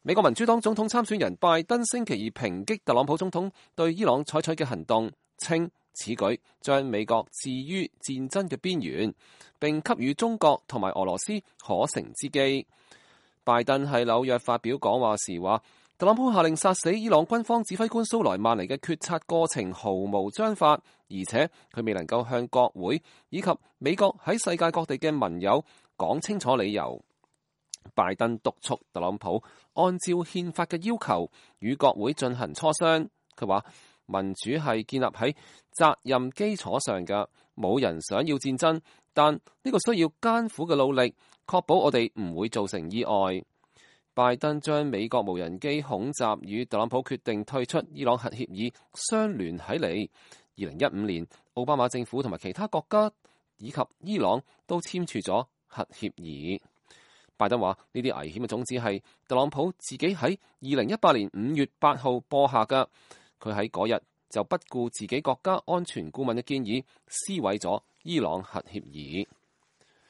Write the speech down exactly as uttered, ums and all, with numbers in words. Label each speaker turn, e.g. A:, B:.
A: 美國民主黨總統參選人拜登星期二抨擊特朗普總統對伊朗採取嘅行動，稱此舉將美國置於戰爭嘅邊緣，並給予中國同埋俄羅斯可乘之機。拜登喺紐約發表講話時話，特朗普下令殺死伊朗軍方指揮官蘇萊曼尼嘅決策過程毫無章法，而且佢未能夠向國會以及美國喺世界各地嘅盟友講清楚理由。拜登督促特朗普按照憲法嘅要求與國會進行磋商。佢話民主係建立喺責任基礎上嘅，冇人想要戰爭，但呢個需要艱苦嘅努力，確保我哋唔會造成意外。拜登將美國無人機恐襲與特朗普決定退出伊朗核協議相聯起嚟。二零一五年，奧巴馬政府同埋其他國家以及伊朗都簽署咗核協議。拜登話呢啲危險嘅種子係特朗普自己喺二零一八年五月八號播下㗎。佢喺嗰日就不顧自己國家安全顧問嘅建議，撕毀咗伊朗核協議。